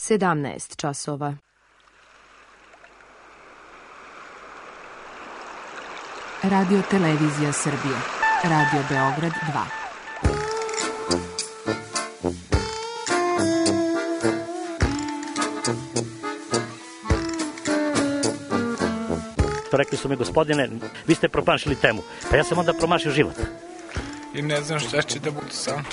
17 časova. Radio Televizija Srbije. Radio Beograd 2. Rekli su mi, gospodine, vi ste promašili temu. Pa ja sam onda promašio život. I ne znam šta će da bude sam.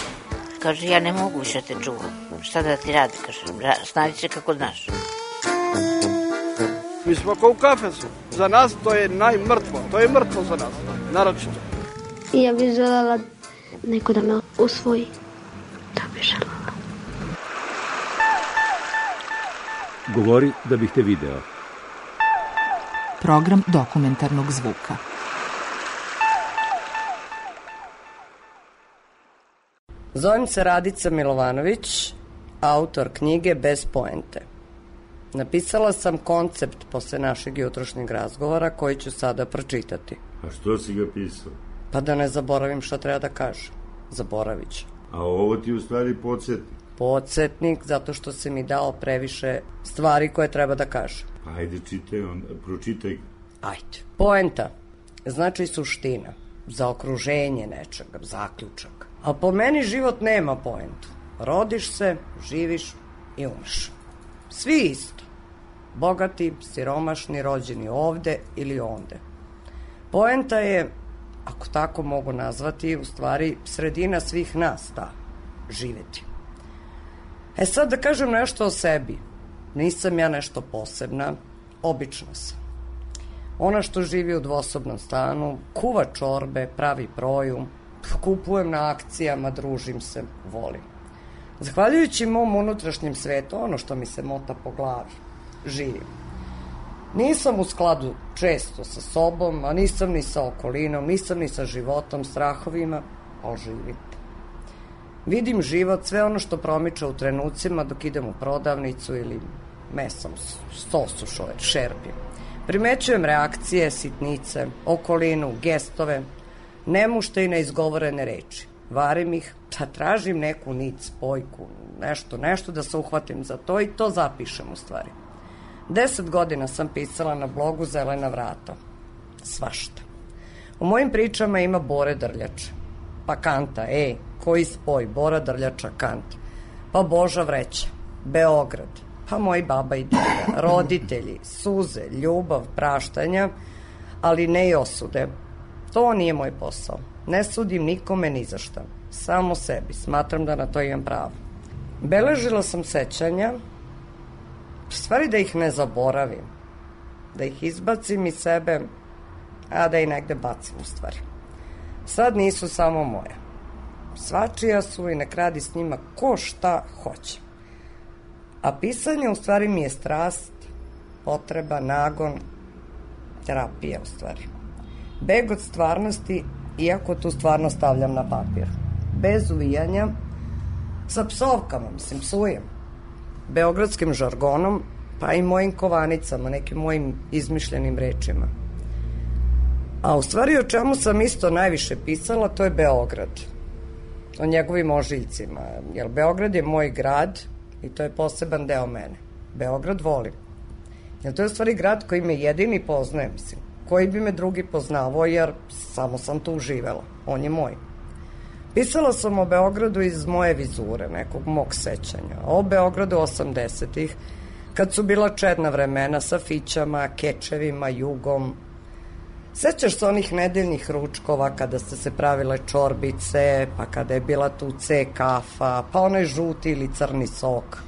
Kaže, ja ne mogu više te čuvam. Šta da ti radi, kaže, snađi se kako znaš. Mi smo kao u kafesu. Za nas to je najmrtvo. To je mrtvo za nas, naročito. I ja bih želela neko da me usvoji. To bih želela. Govori da bih te video. Program dokumentarnog zvuka. Zovem se Radica Milovanović, autor knjige Bez poente. Napisala sam koncept posle našeg jutrošnjeg razgovora koji ću sada pročitati. A što si ga pisao? Pa da ne zaboravim šta treba da kažem. Zaboravit ću. A ovo ti u stvari podsjetnik? Podsjetnik zato što si mi dao previše stvari koje treba da kažem. Pa ajde pročitaj. Ajde. Poenta znači suština, zaokruženje nečega, zaključak. A po meni život nema poentu. Rodiš se, živiš i umreš. Svi isto. Bogati, siromašni, rođeni ovde ili onde. Poenta je, ako tako mogu nazvati, u stvari sredina svih nas, ta, živeti. Sad da kažem nešto o sebi. Nisam ja nešto posebna, obična sam. Ona što živi u dvosobnom stanu, kuva čorbe, pravi proju, kupujem na akcijama, družim se, volim. Zahvaljujući mom unutrašnjem svetu, ono što mi se mota po glavi, živim. Nisam u skladu često sa sobom, a nisam ni sa okolinom, nisam ni sa životom, strahovima, ali živim. Vidim život, sve ono što promiče u trenucima dok idem u prodavnicu ili mesam sos u šerpi. Primećujem reakcije, sitnice, okolinu, gestove, nemušte i neizgovorene reči. Varim ih, tražim neku nit, spojku, nešto da se uhvatim za to i to zapišem u stvari. 10 godina sam pisala na blogu Zelena vrata. Svašta. U mojim pričama ima Bore Drljače. Pa Kanta, koji spoj, Bora Drljača, Kant. Pa Boža vreća, Beograd, pa moji baba i deda, roditelji, suze, ljubav, praštanja, ali ne i osude. To nije moj posao. Ne sudim nikome ni za šta. Samo sebi. Smatram da na to imam pravo. Beležila sam sećanja, stvari da ih ne zaboravim, da ih izbacim iz sebe, a da ih negde bacim u stvari. Sad nisu samo moje. Svačija su i nek radi s njima ko šta hoće. A pisanje u stvari mi je strast, potreba, nagon, terapija u stvari. Beg od stvarnosti, iako tu stvarno stavljam na papir. Bez uvijanja, sa psovkama, psujem. Beogradskim žargonom, pa i mojim kovanicama, nekim mojim izmišljenim rečima. A u stvari o čemu sam isto najviše pisala, to je Beograd. O njegovim ožiljcima, jer Beograd je moj grad i to je poseban deo mene. Beograd volim. Jer to je u stvari grad koji me jedini poznaje, koji bi me drugi poznavao, jer samo sam tu živela. On je moj. Pisala sam o Beogradu iz moje vizure, nekog mog sećanja. O Beogradu 80-ih, kad su bila čedna vremena sa fićama, kečevima, jugom. Sećaš se onih nedeljnih ručkova kada ste se pravile čorbice, pa kada je bila tu C kafa, pa onaj žuti ili crni sok.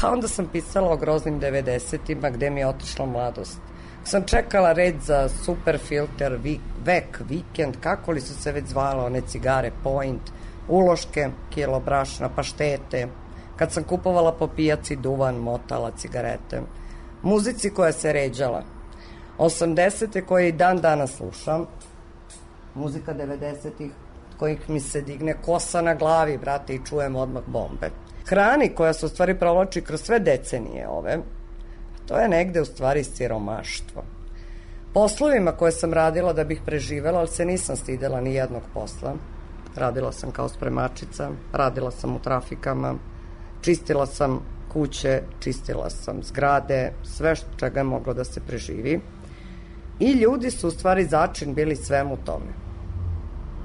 Pa onda sam pisala o groznim 90-ima gde mi je otišla mladost. Sam čekala red za super filter, vek, vikend, kako li su se već zvala one cigare, point, uloške, kilo brašna, paštete. Kad sam kupovala po pijaci duvan, motala, cigarete. Muzici koja se ređala. 80-te koje i dan danas slušam. Muzika 90-ih kojih mi se digne kosa na glavi, brate, i čujem odmah bombe. Hrani koja se u stvari provlači kroz sve decenije ove. To je negde u stvari siromaštvo. Poslovima koje sam radila da bih preživela, ali se nisam stidela ni jednog posla. Radila sam kao spremačica, radila sam u trafikama, čistila sam kuće, čistila sam zgrade, sve čega je moglo da se preživi. I ljudi su u stvari začin bili svemu tome.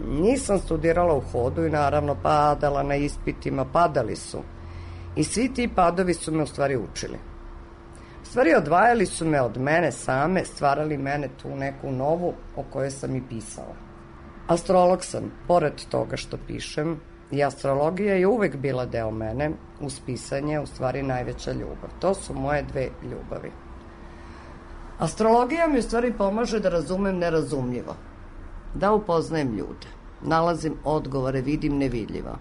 Nisam studirala u hodu i naravno padala na ispitima, padali su. I svi ti padovi su me u stvari učili. U stvari odvajali su me od mene same, stvarali mene tu neku novu o kojoj sam i pisala. Astrolog sam, pored toga što pišem, i astrologija je uvek bila deo mene, uz pisanje u stvari najveća ljubav. To su moje dve ljubavi. Astrologija mi u stvari pomaže da razumem nerazumljivo, da upoznajem ljude, nalazim odgovore, vidim nevidljivo.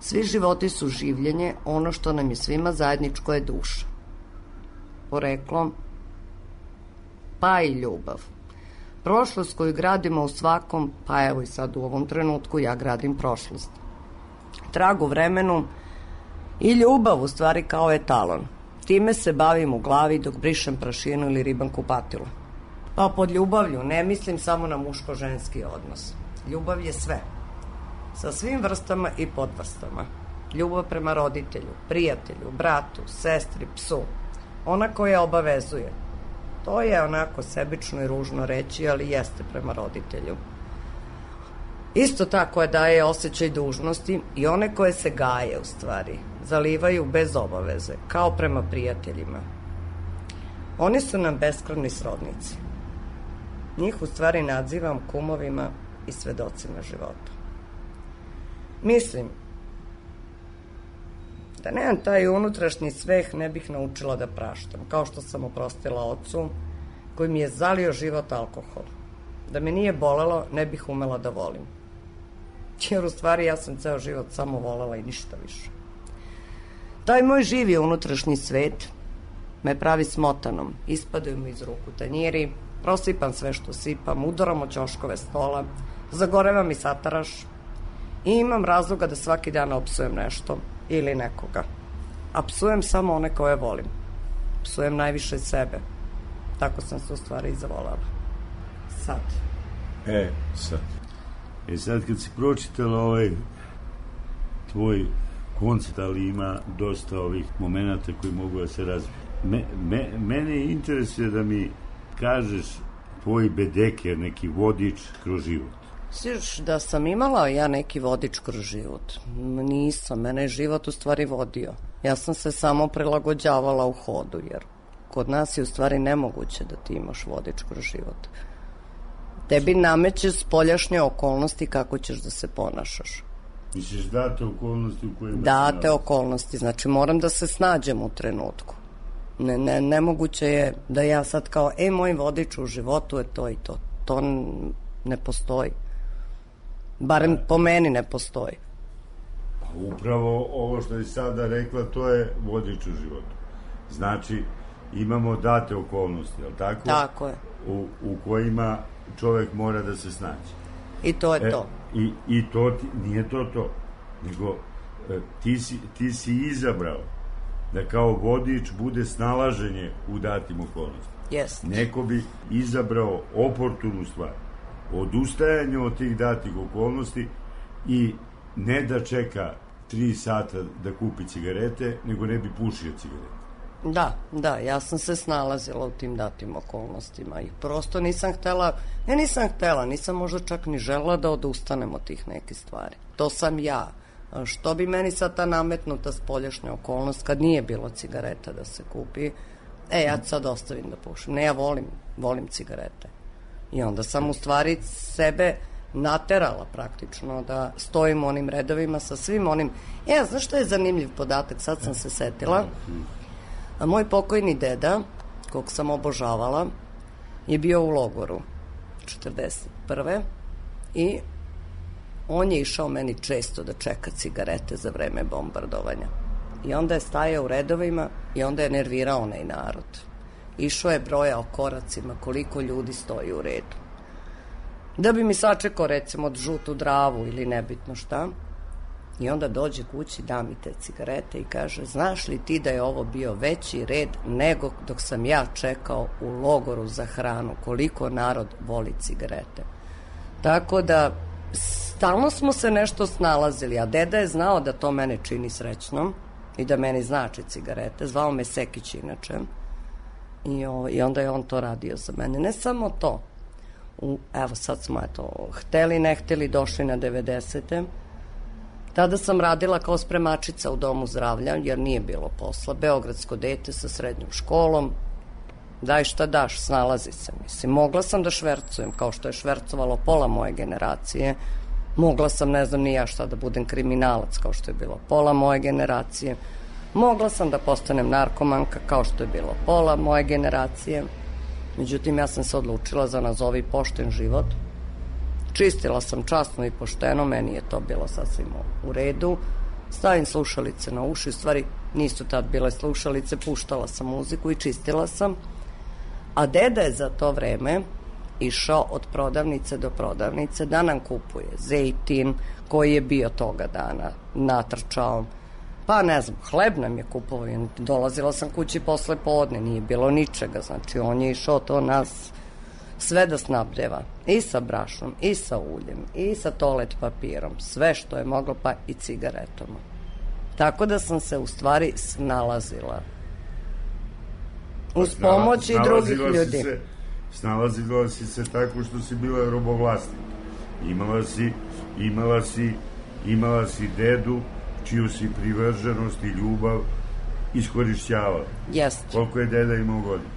Svi životi su življenje, ono što nam je svima zajedničko je duša. Poreklo, pa i ljubav. Prošlost koju gradimo u svakom, pa evo i sad u ovom trenutku ja gradim prošlost. Trag u vremenu i ljubav u stvari kao etalon. Time se bavim u glavi dok brišem prašinu ili ribam kupatilu. Pa pod ljubavlju ne mislim samo na muško-ženski odnos. Ljubav je sve. Sa svim vrstama i podvrstama. Ljubav prema roditelju, prijatelju, bratu, sestri, psu. Ona koja obavezuje. To je onako sebično i ružno reći, ali jeste prema roditelju. Isto tako je daje osjećaj dužnosti i one koje se gaje u stvari, zalivaju bez obaveze, kao prema prijateljima. Oni su nam beskrvni srodnici. Njih u stvari nadzivam kumovima i svedocima života. Mislim da nemam taj unutrašnji sveh, ne bih naučila da praštam, kao što sam oprostila ocu koji mi je zalio život alkohol. Da me nije bolelo, ne bih umela da volim. Jer u stvari ja sam ceo život samo volela i ništa više. Taj moj živi unutrašnji svet me pravi smotanom, ispadaju mi iz ruku tanjiri, prosipam sve što sipam, udaram o ćoškove stola, zagoreva mi sataraš i imam razloga da svaki dan opsujem nešto ili nekoga. A psujem samo one koje volim. Psujem najviše sebe. Tako sam se u stvari i zavolela. Sad. Sad. Sad kad si pročitala ovaj tvoj koncept, ali ima dosta ovih momenata koji mogu da se razviju. Mene interesuje da mi kažeš tvoj bedeker, neki vodič kroz život. Sviš da sam imala ja neki vodič kroz život? Nisam, mene je život u stvari vodio. Ja sam se samo prilagođavala u hodu, jer kod nas je u stvari nemoguće da ti imaš vodič kroz život. Tebi nameće spoljašnje okolnosti kako ćeš da se ponašaš. Misliš date okolnosti u kojima... Date okolnosti, znači moram da se snađem u trenutku. Nemoguće je da ja sad kao, moj vodič u životu je to i to. To ne postoji. Barem po meni ne postoji. Upravo ovo što je sada rekla, to je vodič u životu. Znači, imamo date okolnosti, je li tako? Tako je. U kojima čovek mora da se snađe. I to je to. I to nije to, nego ti si izabrao da kao vodič bude snalaženje u datim okolnostima. Jest. Neko bi izabrao oportunu stvar, odustajanje od tih datih okolnosti i ne da čeka 3 sata da kupi cigarete, nego ne bi pušio cigarete. Da, ja sam se snalazila u tim datim okolnostima i prosto nisam htela, nisam možda čak ni želela da odustanem od tih nekih stvari. To sam ja. Što bi meni sad ta nametnuta spoljašnja okolnost kad nije bilo cigareta da se kupi, ja sad ostavim da pušim. Ne, ja volim cigarete. I onda sam u stvari sebe naterala praktično da stojim u onim redovima sa svim onim... Znaš što je zanimljiv podatak, sad sam se setila. A moj pokojni deda, kog sam obožavala, je bio u logoru 41. I on je išao meni često da čeka cigarete za vreme bombardovanja. I onda je stajao u redovima i onda je nervirao onaj narod. Išao je brojao koracima koliko ljudi stoji u redu. Da bi mi sačekao recimo žutu dravu ili nebitno šta. I onda dođe kući, da mi te cigarete i kaže, znaš li ti da je ovo bio veći red nego dok sam ja čekao u logoru za hranu, koliko narod voli cigarete. Tako da stalno smo se nešto snalazili, a deda je znao da to mene čini srećnom i da meni znači cigarete. Zvao me Sekić inače. I onda je on to radio za mene. Ne samo to. Evo sad smo hteli, ne hteli, došli na 90. Tada sam radila kao spremačica u domu zdravlja, jer nije bilo posla. Beogradsko dete sa srednjom školom. Daj šta daš, snalazi se. Mislim, mogla sam da švercujem, kao što je švercovalo pola moje generacije. Mogla sam, ne znam ni ja šta, da budem kriminalac, kao što je bilo pola moje generacije. Mogla sam da postanem narkomanka, kao što je bilo pola moje generacije. Međutim, ja sam se odlučila za nazovi pošten život. Čistila sam časno i pošteno, meni je to bilo sasvim u redu. Stavim slušalice na uši, u stvari nisu tad bile slušalice, puštala sam muziku i čistila sam. A deda je za to vreme išao od prodavnice do prodavnice da nam kupuje zejtin koji je bio toga dana natrčao. Pa ne znam, hleb nam je kupovao. Dolazila sam kući posle podne, nije bilo ničega. Znači on je išao to nas sve da snabdeva. I sa brašnom, i sa uljem, i sa toalet papirom. Sve što je moglo, pa i cigaretom. Tako da sam se u stvari snalazila. Uz pomoć i drugih ljudi. Snalazila si se tako što si bila robovlasnik. Imala si dedu čiju si privrženost i ljubav iskorišćavala. Jeste. Koliko je deda imao godina?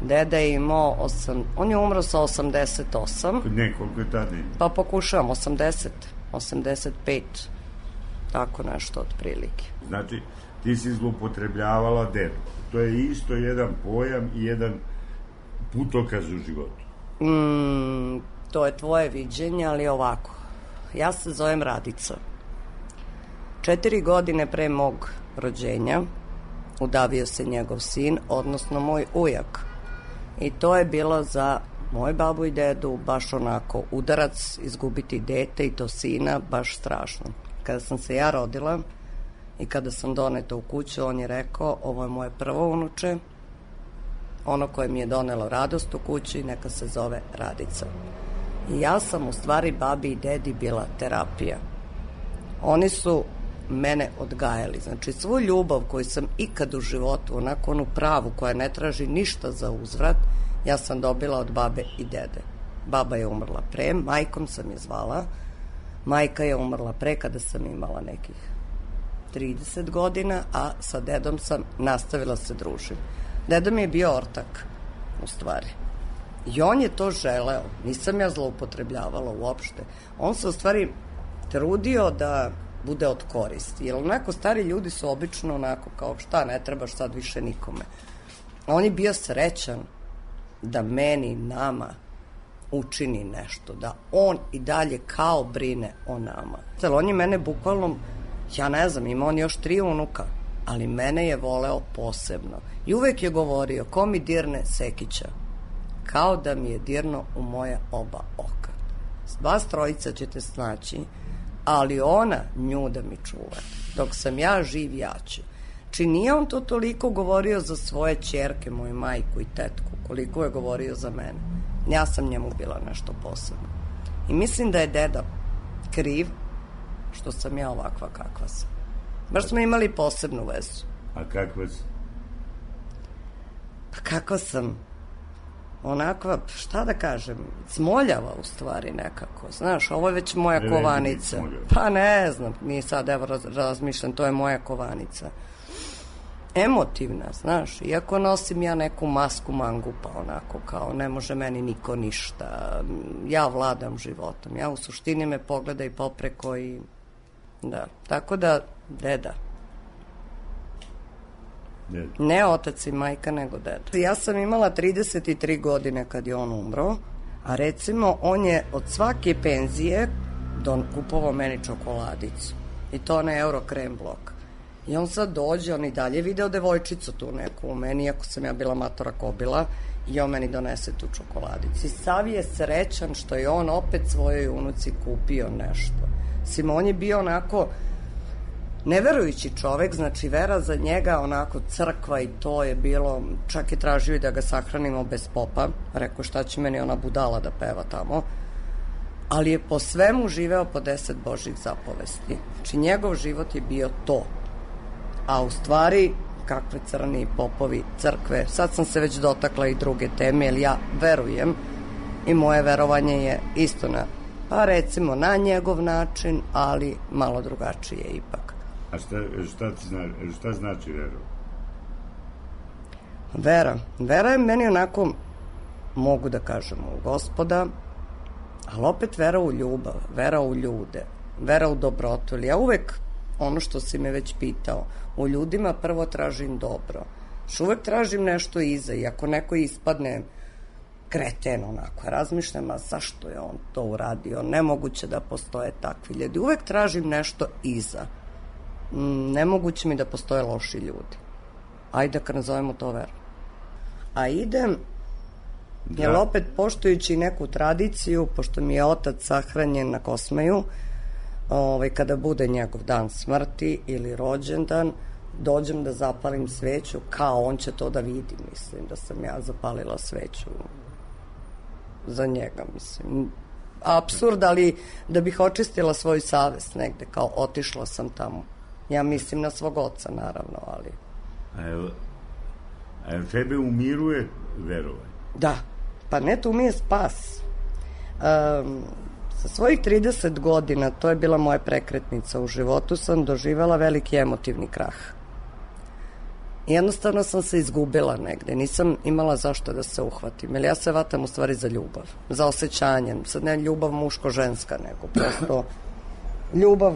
Deda je imao, on je umro sa 88. Ne, koliko je tada imao? Pa pokušavam, 80, 85, tako nešto otprilike. Znači, ti si zloupotrebljavala dedu. To je isto jedan pojam i jedan putokaz u životu. To je tvoje viđenje, ali ovako. Ja se zovem Radica. 4 godine pre mog rođenja udavio se njegov sin, odnosno moj ujak. I to je bilo za moju babu i dedu baš onako udarac, izgubiti dete i to sina, baš strašno. Kada sam se ja rodila i kada sam doneta u kuću, on je rekao, ovo je moje prvo unuče, ono koje mi je donelo radost u kući, neka se zove Radica. I ja sam u stvari babi i dedi bila terapija. Oni su mene odgajali. Znači, svu ljubav koju sam ikad u životu, onako onu pravu koja ne traži ništa za uzvrat, ja sam dobila od babe i dede. Baba je umrla pre, majkom sam je zvala. Majka je umrla pre kada sam imala nekih 30 godina, a sa dedom sam nastavila se družiti. Deda mi je bio ortak, u stvari. I on je to želeo. Nisam ja zloupotrebljavala uopšte. On se u stvari trudio da bude od koristi. Jer onako stari ljudi su obično onako kao šta, ne trebaš sad više nikome. On je bio srećan da meni, nama učini nešto, da on i dalje kao brine o nama. On je mene bukvalno, ja ne znam, ima on još 3 unuka, ali mene je voleo posebno. I uvek je govorio, ko mi dirne Sekića, kao da mi je dirno u moje oba oka. Vas trojica ćete snaći, ali ona nju da mi čuva. Dok sam ja živ, ja ću. Či nije on to toliko govorio za svoje ćerke, moju majku i tetku, koliko je govorio za mene. Ja sam njemu bila nešto posebno. I mislim da je deda kriv što sam ja ovakva kakva sam. Baš smo imali posebnu vezu. A kakva si? Pa kakva sam? Onakva, šta da kažem, smoljava u stvari nekako. Znaš, ovo je već moja kovanica. Pa ne znam, nije sad, evo razmišljam, to je moja kovanica. Emotivna, znaš, iako nosim ja neku masku mangupa, onako kao ne može meni niko ništa, ja vladam životom, ja u suštini me pogleda i popreko i da, tako da deda. Ne otac i majka, nego deda. Ja sam imala 33 godine kad je on umro, a recimo on je od svake penzije kupovao meni čokoladicu i to na Euro krem blok. I on sad dođe, on i dalje video devojčicu tu neku u meni, ako sam ja bila matora kobila, i on meni donese tu čokoladicu. I sav je srećan što je on opet svojoj unuci kupio nešto. On je bio onako neverujući čovek, znači vera za njega, onako crkva i to je bilo, čak je tražio i da ga sahranimo bez popa, rekao šta će meni ona budala da peva tamo, ali je po svemu živeo po 10 božjih zapovesti. Znači njegov život je bio to. A u stvari, kakve crni popovi crkve, sad sam se već dotakla i druge teme, jer ja verujem i moje verovanje je isto pa recimo na njegov način, ali malo drugačije ipak. A šta znači vera? Vera je meni onako, mogu da kažem, u Gospoda, ali opet vera u ljubav, vera u ljude, vera u dobrotu. Ja uvek, ono što si me već pitao, u ljudima prvo tražim dobro. Što uvek tražim nešto iza i ako neko ispadne kreten onako, razmišljam, a zašto je on to uradio? Nemoguće da postoje takvi ljudi. Uvek tražim nešto iza. Nemoguće mi da postoje loši ljudi. Ajde kad nazovemo to veru. A idem, jer opet poštujući neku tradiciju, pošto mi je otac sahranjen na Kosmaju, kada bude njegov dan smrti ili rođendan, dođem da zapalim sveću, kao on će to da vidi, mislim, da sam ja zapalila sveću za njega, mislim. Apsurd, ali da bih očistila svoju savest negde, kao otišla sam tamo. Ja mislim na svog oca, naravno, ali... A tebe umiruje verovanje? Da, pa ne, tu mi je spas. Sa svojih 30 godina, to je bila moja prekretnica u životu, sam doživela veliki emotivni krah. Jednostavno sam se izgubila negde, nisam imala zašto da se uhvatim, jer ja se vatam u stvari za ljubav, za osjećanje, sad ne ljubav muško-ženska, nego prosto ljubav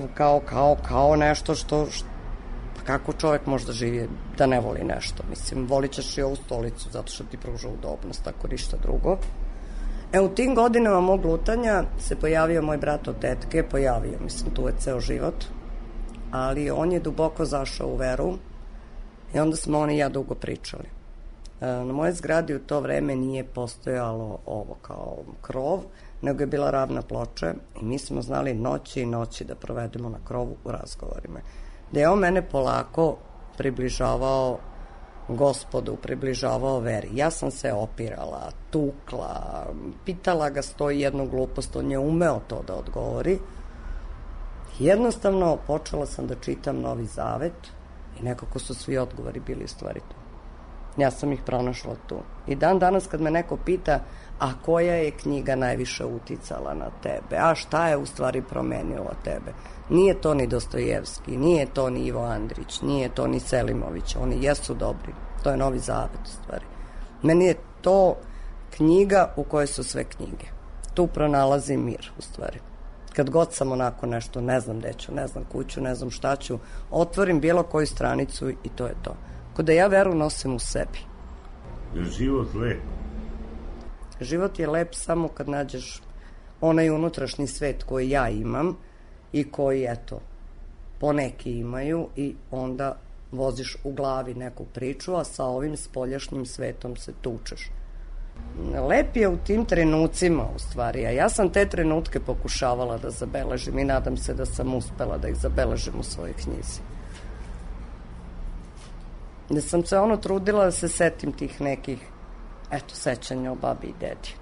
kao nešto što kako čovek može da živi da ne voli nešto, mislim, volit ćeš i ovu stolicu zato što ti pruža udobnost, ako ništa drugo. U tim godinama mog lutanja se pojavio moj brat od tetke, mislim, tu je ceo život, ali on je duboko zašao u veru i onda smo on i ja dugo pričali. Na moje zgradi u to vreme nije postojalo ovo kao krov, nego je bila ravna ploča i mi smo znali noći i noći da provedemo na krovu u razgovorima. Da je on mene polako približavao Gospodu, približavao veri. Ja sam se opirala, tukla, pitala ga 101 glupost, on je umeo to da odgovori. Jednostavno počela sam da čitam Novi Zavet i nekako su svi odgovori bili u stvari tu. Ja sam ih pronašla tu. I dan danas kad me neko pita, a koja je knjiga najviše uticala na tebe, a šta je u stvari promenilo tebe, nije to ni Dostojevski, nije to ni Ivo Andrić, nije to ni Selimović, oni jesu dobri, to je Novi Zavet u stvari. Meni je to knjiga u kojoj su sve knjige. Tu pronalazim mir u stvari. Kad god sam onako nešto, ne znam gde ću, ne znam kuću, ne znam šta ću, otvorim bilo koju stranicu i to je to. Kod da ja veru nosim u sebi. Je život lep? Život je lep samo kad nađeš onaj unutrašnji svet koji ja imam i koji, eto, poneki imaju i onda voziš u glavi neku priču, a sa ovim spoljašnjim svetom se tučeš. Lep je u tim trenucima, u stvari, a ja sam te trenutke pokušavala da zabeležim i nadam se da sam uspela da ih zabeležim u svojoj knjizi. Da sam se trudila da se setim tih nekih, sećanja o babi i dedi.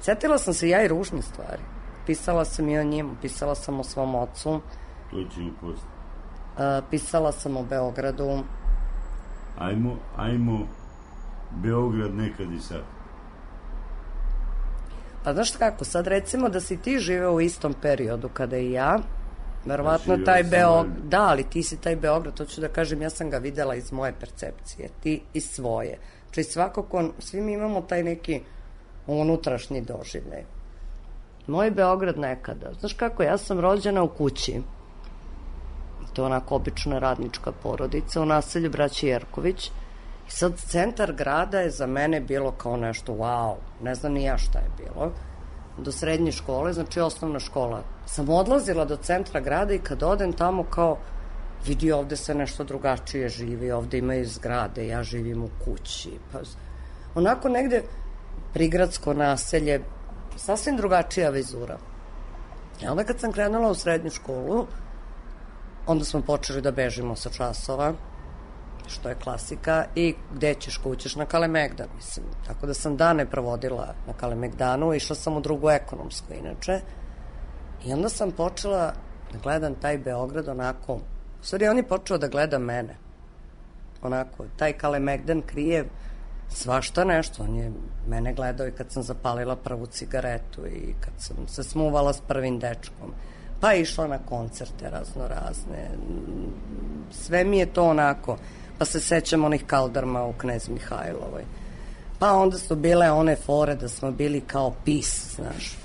Setila sam se ja i ružne stvari. Pisala sam i o njemu, pisala sam o svom ocu. To će i posto. Pisala sam o Beogradu. Ajmo Beograd nekad i sad. Pa znaš kako, sad recimo da si ti živeo u istom periodu kada i ja, verovatno taj Beograd, da, ali ti si taj Beograd, to ću da kažem, ja sam ga videla iz moje percepcije, ti iz svoje. Znači svakako, svi mi imamo taj neki unutrašnji doživljaj. Moj Beograd nekada, znaš kako, ja sam rođena u kući, to je onako obična radnička porodica u naselju braći Jerković, i sad centar grada je za mene bilo kao nešto wow, ne znam ni ja šta je bilo. Do srednje škole, znači osnovna škola. Sam odlazila do centra grada i kad odem tamo kao vidi ovde se nešto drugačije živi, ovde imaju zgrade, ja živim u kući. Pa, onako negde prigradsko naselje, sasvim drugačija vizura. I onda kad sam krenula u srednju školu, onda smo počeli da bežimo sa časova, što je klasika, i gde ćeš, kućeš na Kalemegdan, mislim. Tako da sam dane provodila na Kalemegdanu, išla sam u drugu ekonomsku, inače. I onda sam počela da gledam taj Beograd onako, u stvari on je počeo da gleda mene. onako, taj Kalemegdan krije svašta nešto. On je mene gledao i kad sam zapalila prvu cigaretu i kad sam se smuvala s prvim dečkom, pa išla na koncerte razne. Sve mi je to onako, pa se sećam onih kaldarma u Knez Mihajlovoj. Pa onda su bile one fore da smo bili kao PiS, znaš.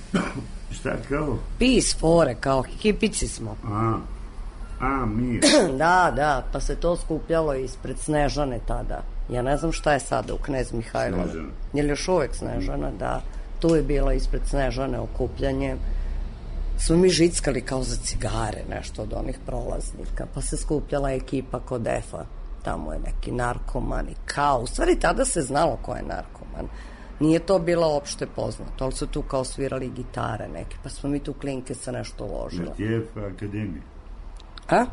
Šta kao? PiS fore, kao hipici smo. Mi. Da, pa se to skupljalo ispred Snežane tada. Ja ne znam šta je sada u Knez Mihajlova. Snežana. Je li još uvek Snežana, da. Tu je bilo ispred Snežane okupljanje. Smo mi žickali kao za cigare, nešto od onih prolaznika. Pa se skupljala ekipa kod EFA. Tamo je neki narkoman i kao. U stvari tada se znalo ko je narkoman. Nije to bilo opšte poznato, ali su tu kao svirali gitare neke. Pa smo mi tu klinke sa nešto uložili. Šta ti je EFA akademija? A?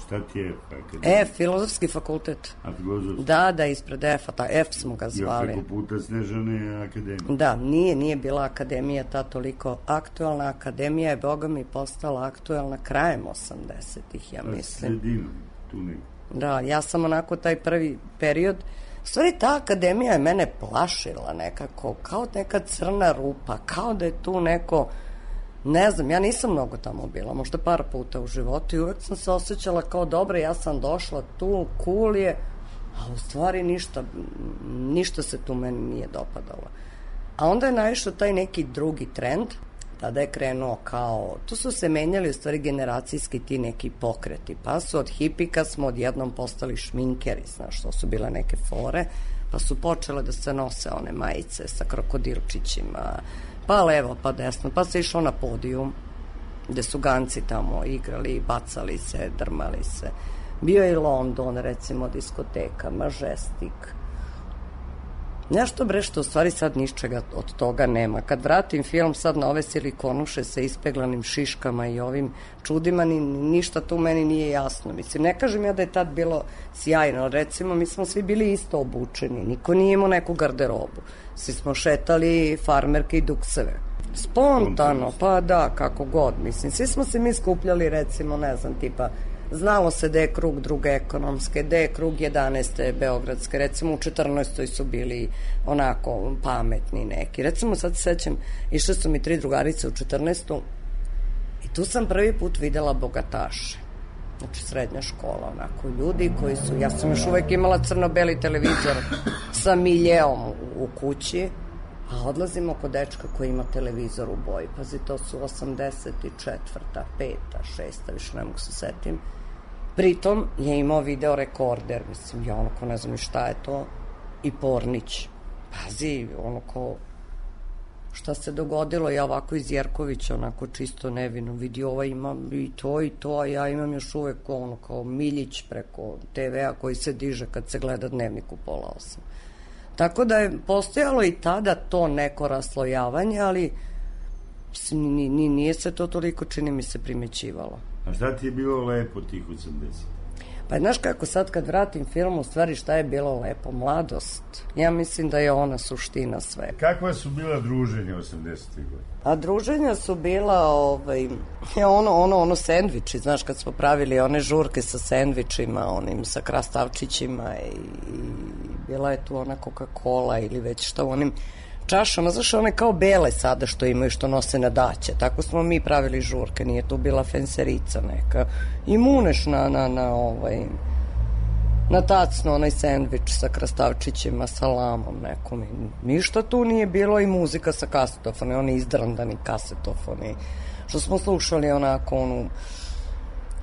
Šta ti je EFA akademija? Filozofski fakultet. A filozofski? Da, ispred EFA, F smo ga zvali. Ja preko puta Snežane akademija. Da, nije bila akademija ta toliko aktualna. Akademija je, boga mi, postala aktualna krajem 80-ih, ja mislim. Sredinom, tu neko. Da, ja sam onako taj prvi period. U stvari, ta akademija je mene plašila nekako, kao neka crna rupa, kao da je tu neko, ne znam, ja nisam mnogo tamo bila, možda par puta u životu i uvek sam se osjećala kao dobra, ja sam došla tu, cool je, a u stvari ništa se tu meni nije dopadalo. A onda je naišao taj neki drugi trend, tada je krenuo kao, tu su se menjali u stvari generacijski ti neki pokreti, pa su od hipika smo odjednom postali šminkeri, znaš, to su bile neke fore, pa su počele da se nose one majice sa krokodilčićima, pa levo, pa desno, pa se išlo na podijum, gde su ganci tamo igrali, bacali se, drmali se. Bio je i London, recimo, diskoteka, Majestic. Nešto bre što u stvari sad ničega od toga nema. Kad vratim film sad na ove silikonuše sa ispeglanim šiškama i ovim čudima, ništa tu meni nije jasno. Mislim, ne kažem ja da je tad bilo sjajno. Recimo, mi smo svi bili isto obučeni. Niko nije imao neku garderobu. Svi smo šetali farmerke i dukseve. Spontano, pa da, kako god. Mislim, svi smo se mi skupljali, recimo, ne znam, tipa, znalo se da je krug druge ekonomske, da je krug 11. beogradske, recimo u 14. su bili onako pametni neki. Recimo sad se sećam, išle su mi 3 drugarice u 14. i tu sam prvi put videla bogataše. Znači srednja škola, onako, ljudi koji su, ja sam još uvek imala crno-beli televizor sa miljeom u kući, a odlazimo kod dečka koji ima televizor u boji. Pazi, to su 84. 5. 6. više ne mogu se setim. Pritom je imao video rekorder, mislim, ja onako ne znam ni šta je to, i Pornić. Pazi, onako, šta se dogodilo, ja ovako iz Jerkovića, onako čisto nevino, vidi, ova ima i to, a ja imam još uvek ono kao Miljić preko TV-a koji se diže kad se gleda Dnevnik u 7:30. Tako da je postojalo i tada to neko raslojavanje, ali nije se to toliko, čini mi se, primećivalo. A šta ti je bilo lepo tih 80? Pa znaš kako sad kad vratim film, u stvari šta je bilo lepo? Mladost. Ja mislim da je ona suština sve. Kakva su bila druženja 80-ih godina? A druženja su bila ono sendviči, znaš, kad smo pravili one žurke sa sendvičima, onim sa krastavčićima i bila je tu ona Coca-Cola ili već šta u onim čašama, znaš, one kao bele sada što imaju, što nose na daće. Tako smo mi pravili žurke, nije tu bila fenserica neka. I muneš na tacno onaj sendvič sa krastavčićima, salamom nekom. Ništa tu nije bilo, i muzika sa kasetofoni, oni izdrandani kasetofoni, što smo slušali onako onu.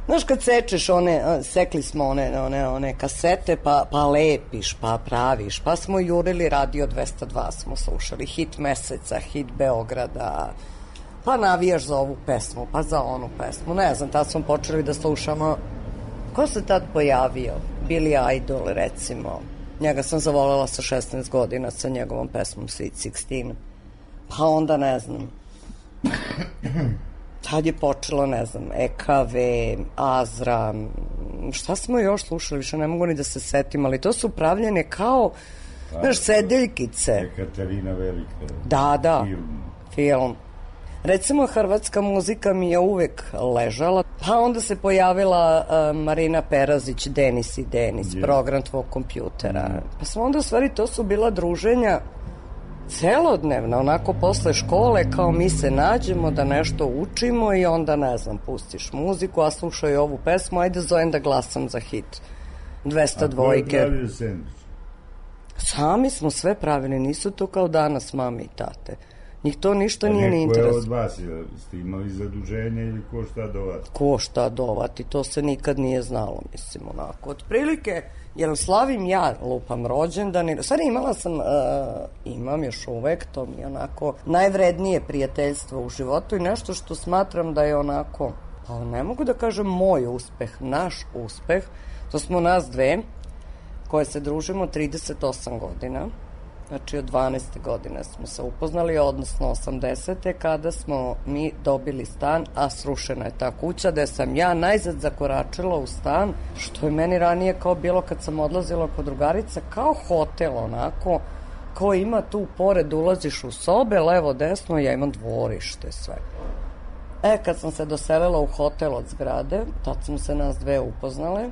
Znaš, kad sečeš sekli smo one kasete, pa lepiš, pa praviš, pa smo jurili Radio 202, smo slušali hit meseca, hit Beograda, pa navijaš za ovu pesmu, pa za onu pesmu, ne znam, tad smo počeli da slušamo. Ko se tad pojavio? Billy Idol, recimo. Njega sam zavolela sa 16 godina sa njegovom pesmom Sweet 16. Pa onda, ne znam, tad je počelo, ne znam, EKV, Azra, šta smo još slušali, više ne mogu ni da se setim, ali to su pravljene kao, znaš, sedeljkice. Katarina Velika. Da, film. Recimo, hrvatska muzika mi je uvek ležala, pa onda se pojavila Marina Perazić, Denis i Denis, program tvog kompjutera. Pa smo onda, u stvari, to su bila druženja celodnevna, onako posle škole, kao mi se nađemo da nešto učimo i onda, ne znam, pustiš muziku, a slušaj ovu pesmu, ajde zovem da glasam za hit 202. A ko je pravio sendvič? Sami smo sve pravili, nisu to kao danas mami i tate. Njih to ništa nije ni interes. Neko je od vas, ste imali zaduženje ili ko šta dovati? Ko šta dovati, to se nikad nije znalo, mislim, onako. Otprilike, jer slavim ja, lupam rođendan, stvari imala sam, imam još uvek, to mi je onako najvrednije prijateljstvo u životu i nešto što smatram da je onako, pa ne mogu da kažem moj uspeh, naš uspeh, to smo nas dve, koje se družimo 38 godina, znači od 12. godine smo se upoznali, odnosno 80. kada smo mi dobili stan, a srušena je ta kuća, gde sam ja najzad zakoračila u stan, što je meni ranije kao bilo kad sam odlazila kod drugarica, kao hotel onako, ko ima tu pored, ulaziš u sobe, levo, desno, ja imam dvorište, sve. Kad sam se doselila u hotel od zgrade, tad smo se nas dve upoznale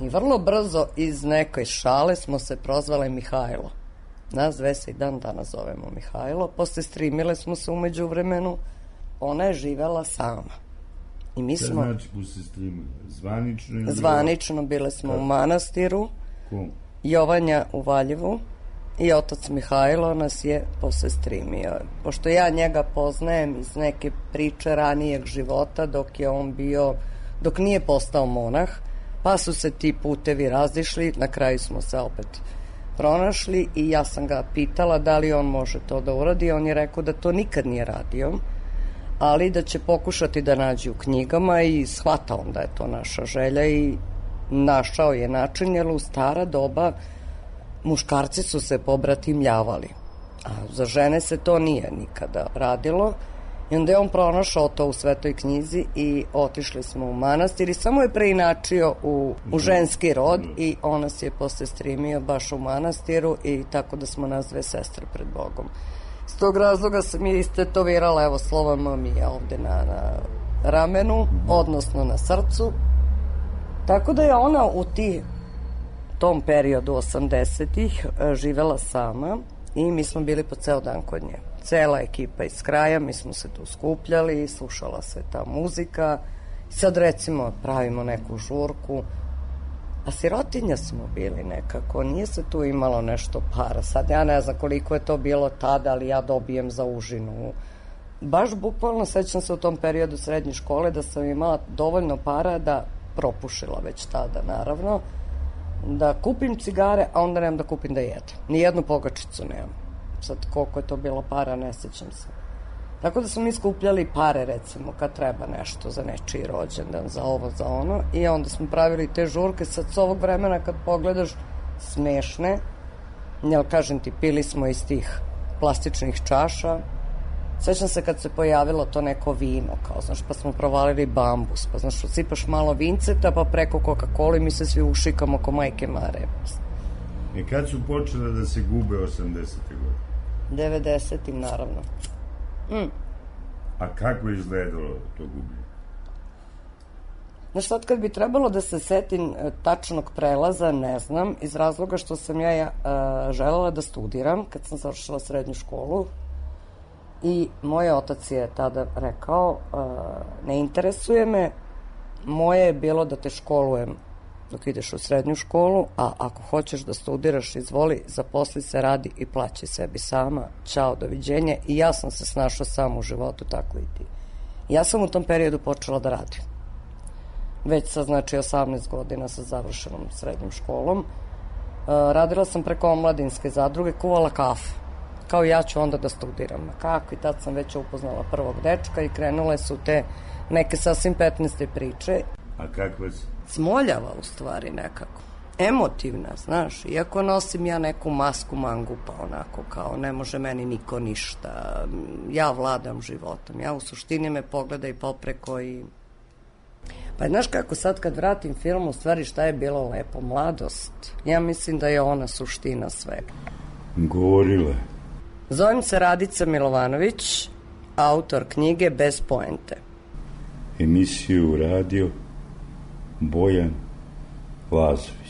i vrlo brzo iz nekoj šale smo se prozvale Mihajlo. Nas dve se i dan danas zovemo Mihajlo. Posle strimile smo se umeđu vremenu. Ona je živela sama. I mi smo... Znači posle strimile? Zvanično ili... Zvanično, bile smo u manastiru. Kom? Jovanja u Valjevu. I otac Mihajlo nas je posle strimio. Pošto ja njega poznajem iz neke priče ranijeg života dok je on bio... Dok nije postao monah, pa su se ti putevi razišli. Na kraju smo se opet pronašli i ja sam ga pitala da li on može to da uradi. On je rekao da to nikad nije radio, ali da će pokušati da nađe u knjigama i shvata on da je to naša želja i našao je način, jer u stara doba muškarci su se pobratimljavali, a za žene se to nije nikada radilo. I onda je on pronašao to u Svetoj knjizi i otišli smo u manastir i samo je preinačio u ženski rod i on nas je posle strimio baš u manastiru i tako da smo nas dve sestre pred Bogom. S tog razloga sam je istetovirala, evo, slova mami je ovde na ramenu, odnosno na srcu. Tako da je ona u tom periodu 80-ih živela sama i mi smo bili po ceo dan kod nje. Cela ekipa iz kraja, mi smo se tu skupljali, slušala se ta muzika. Sad recimo pravimo neku žurku, a sirotinja smo bili nekako, nije se tu imalo nešto para. Sad ja ne znam koliko je to bilo tada, ali ja dobijem za užinu. Baš bukvalno sećam se u tom periodu srednje škole da sam imala dovoljno para da, propušila već tada naravno, da kupim cigare, a onda nemam da kupim da jedem. Nijednu pogačicu nemam. Sad koliko je to bilo para, ne sećam se. Tako da smo mi skupljali pare, recimo, kad treba nešto za nečiji rođendan, za ovo, za ono, i onda smo pravili te žurke. Sad s ovog vremena kad pogledaš, smešne, jel kažem ti, pili smo iz tih plastičnih čaša. Sećam se kad se pojavilo to neko vino, kao, znaš, pa smo provalili bambus, pa znaš, osipaš malo vinceta, pa preko Coca-Cola i mi se svi ušikamo ko majke Mare. I kad su počele da se gube 80. godine? 90-im, naravno. A kako je izgledalo to gubljenje? Znaš, sad kad bi trebalo da se setim tačnog prelaza, ne znam, iz razloga što sam ja želela da studiram kad sam završila srednju školu i moj otac je tada rekao, ne interesuje me, moje je bilo da te školujem dok ideš u srednju školu, a ako hoćeš da studiraš, izvoli, zaposli se, radi i plaći sebi sama, ćao, doviđenje. I ja sam se snašla sam u životu, tako i ti. Ja sam u tom periodu počela da radim. Već sa, znači, 18 godina sa završenom srednjom školom. Radila sam preko omladinske zadruge, kuvala kafu. Kao ja ću onda da studiram. Kako? I tad sam već upoznala prvog dečka i krenule su te neke sasvim 15. priče. A kakva si? Smoljava u stvari nekako. Emotivna, znaš, iako nosim ja neku masku mangupa, onako kao ne može meni niko ništa, ja vladam životom, ja u suštini me pogledaj popreko i... Pa znaš kako sad kad vratim film, u stvari šta je bilo lepo, mladost, ja mislim da je ona suština svega. Govorila. Zovem se Radica Milovanović, autor knjige Bez poente. Emisiju radio Bojan Lazović.